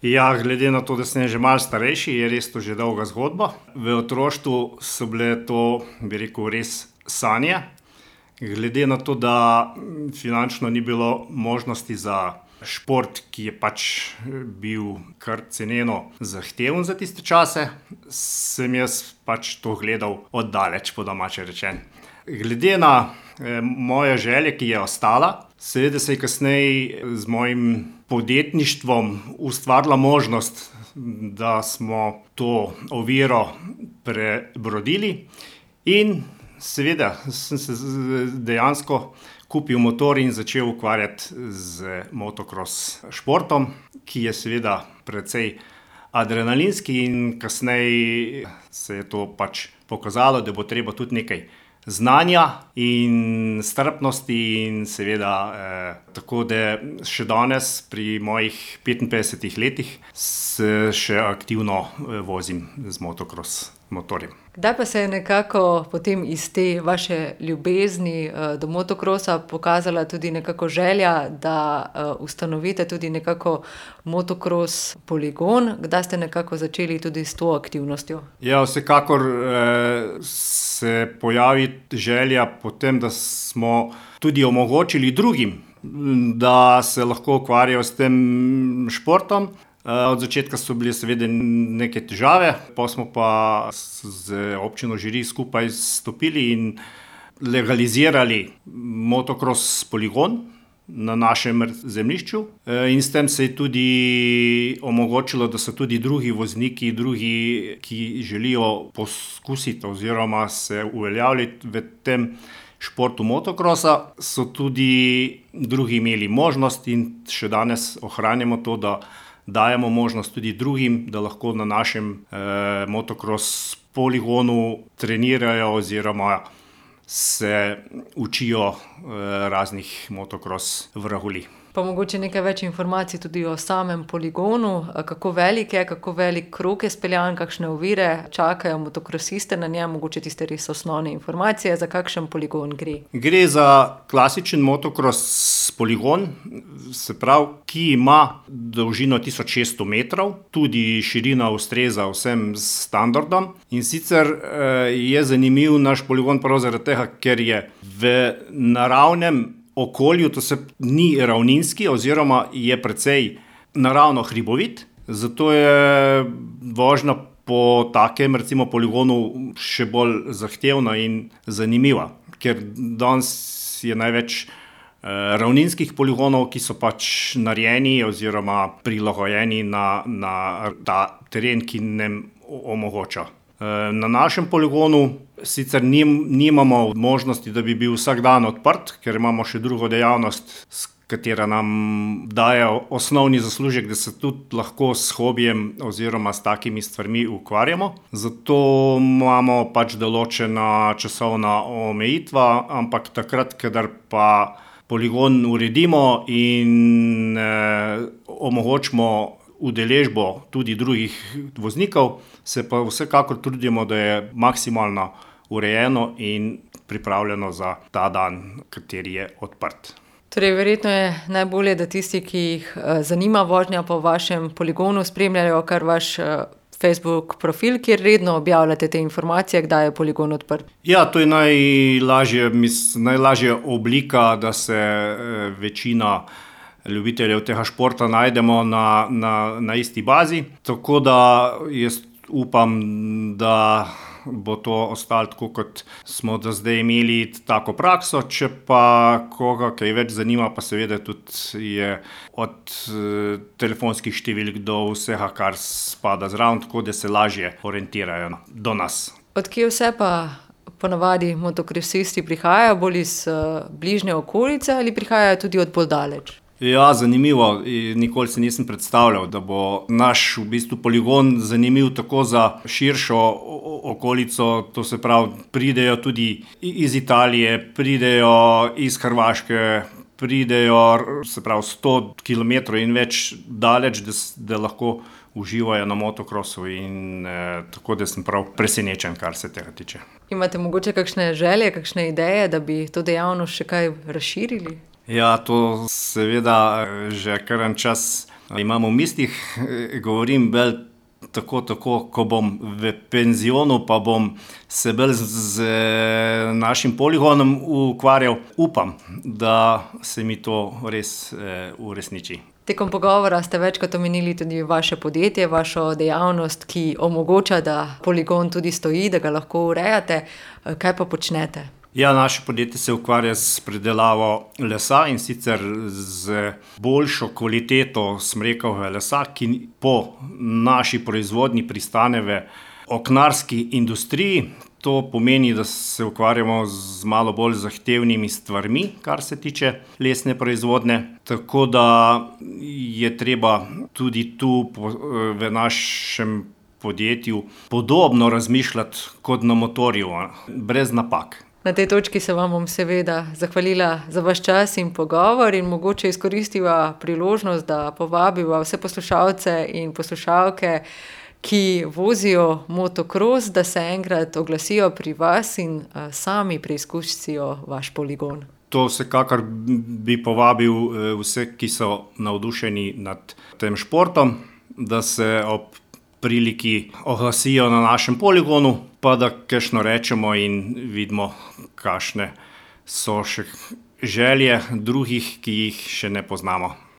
Ja, glede na to, da sem že malo starejši, je res to že dolga zgodba. V otroštvu so bile to, bi rekel, res sanje. Glede na to, da finančno ni bilo možnosti za šport, ki je pač bil kar ceneno zahteven za tiste čase, sem jaz pač to gledal oddaleč, po domače rečeno. Glede na moje želje, ki je ostala, seveda se je kasneje z mojim podjetništvom ustvarila možnost, da smo to oviro prebrodili in seveda sem se dejansko kupil motor in začel ukvarjati z motocross športom, ki je seveda precej adrenalinski in kasneje se je to pač pokazalo, da bo treba tudi nekaj znanja in strpnosti in seveda tako, da še danes pri mojih 55 letih se še aktivno vozim z motocross motorjem. Kdaj pa se je nekako potem iz te vaše ljubezni do motocrossa pokazala tudi nekako želja, da ustanovite tudi nekako motocross poligon? Kdaj ste nekako začeli tudi s to aktivnostjo? Ja, vsekakor se pojavi želja potem, da smo tudi omogočili drugim, da se lahko ukvarjajo s tem športom. Od začetka so bile seveda neke težave, pa smo pa z občino Žiri skupaj stopili in legalizirali motocross poligon na našem zemljišču. In s tem se je tudi omogočilo, da so tudi drugi vozniki, drugi, ki želijo poskusiti oziroma se uveljavljati v tem športu motocrossa, so tudi drugi imeli možnost in še danes ohranjamo to, da dajemo možnost tudi drugim, da lahko na našem motocross poligonu trenirajo oziroma se učijo raznih motocross vragolij. Pa mogoče nekaj več informacij tudi o samem poligonu, kako velik je, kako velik krog je speljan, kakšne ovire čakajo motokrosiste na njem, mogoče tiste res osnovne informacije, za kakšen poligon gre. Gre za klasičen motocross poligon, se pravi, ki ima dolžino 1600 metrov, tudi širina ustreza vsem standardom. In sicer je zanimiv naš poligon prav zaradi tega, ker je v naravnem okolju, to se ni ravninski oziroma je precej naravno hribovit, zato je vožnja po takem recimo poligonu še bolj zahtevna in zanimiva, ker danes je največ ravninskih poligonov, ki so pač narejeni oziroma prilagojeni na ta teren, ki nam omogoča. Na našem poligonu sicer nimamo možnosti, da bi bil vsak dan odprt, ker imamo še drugo dejavnost, s katera nam daje osnovni zaslužek, da se tudi lahko s hobijem oziroma s takimi stvarmi ukvarjamo. Zato imamo pač določena časovna omejitva, ampak takrat, kadar pa poligon uredimo in omogočimo udeležbo tudi drugih voznikov, se pa vsekakor trudimo, da je maksimalno urejeno in pripravljeno za ta dan, kateri je odprt. Torej, verjetno je najbolje, da tisti, ki jih zanima vožnja po vašem poligonu, spremljajo kar vaš Facebook profil, kjer redno objavljate te informacije, kdaj je poligon odprt. Ja, to je najlažja oblika, da se večina ljubiteljev tega športa najdemo na isti bazi. Tako da jaz upam, da bo to ostalo tako, kot smo do zdaj imeli tako prakso. Če pa koga kaj več zanima, pa seveda tudi je od telefonskih številk do vsega, kar spada zraven, tako da se lažje orientirajo do nas. Od kje vse pa ponavadi motokrosisti prihajajo? Bolj iz bližnje okolice ali prihajajo tudi od bolj daleč? Ja, zanimivo. Nikoli si nisem predstavljal, da bo naš v bistvu poligon zanimiv tako za širšo okolico, to se pravi, pridejo tudi iz Italije, pridejo iz Hrvaške, pridejo se pravi 100 kilometrov in več daleč, da lahko uživajo na motocrossu in tako, da sem prav presenečen, kar se tega tiče. Imate mogoče kakšne želje, kakšne ideje, da bi to dejavnost še kaj razširili? Ja, to seveda že kar en čas Imam v mislih, govorim bolj tako, ko bom v penzionu, pa bom se bolj z našim poligonom ukvarjal. Upam, da se mi to res uresniči. Tekom pogovora ste večkrat omenili tudi vaše podjetje, vašo dejavnost, ki omogoča, da poligon tudi stoji, da ga lahko urejate. Kaj pa počnete? Ja, naše podjetje se ukvarja s predelavo lesa, in sicer z boljšo kvaliteto smrekovega lesa, ki po naši proizvodnji pristane v oknarski industriji. To pomeni, da se ukvarjamo z malo bolj zahtevnimi stvarmi, kar se tiče lesne proizvodnje. Tako da je treba tudi tu v našem podjetju podobno razmišljati kot na motorju, brez napak. Na tej točki se vam bom seveda zahvalila za vaš čas in pogovor in mogoče izkoristiva priložnost, da povabiva vse poslušalce in poslušalke, ki vozijo motokros, da se enkrat oglasijo pri vas in sami preizkusijo vaš poligon. To vsekakor bi povabil vse, ki so navdušeni nad tem športom, da se ob priliki oglasijo na našem poligonu, pa da kakšno rečemo in vidimo, kakšne so še želje drugih, ki jih še ne poznamo.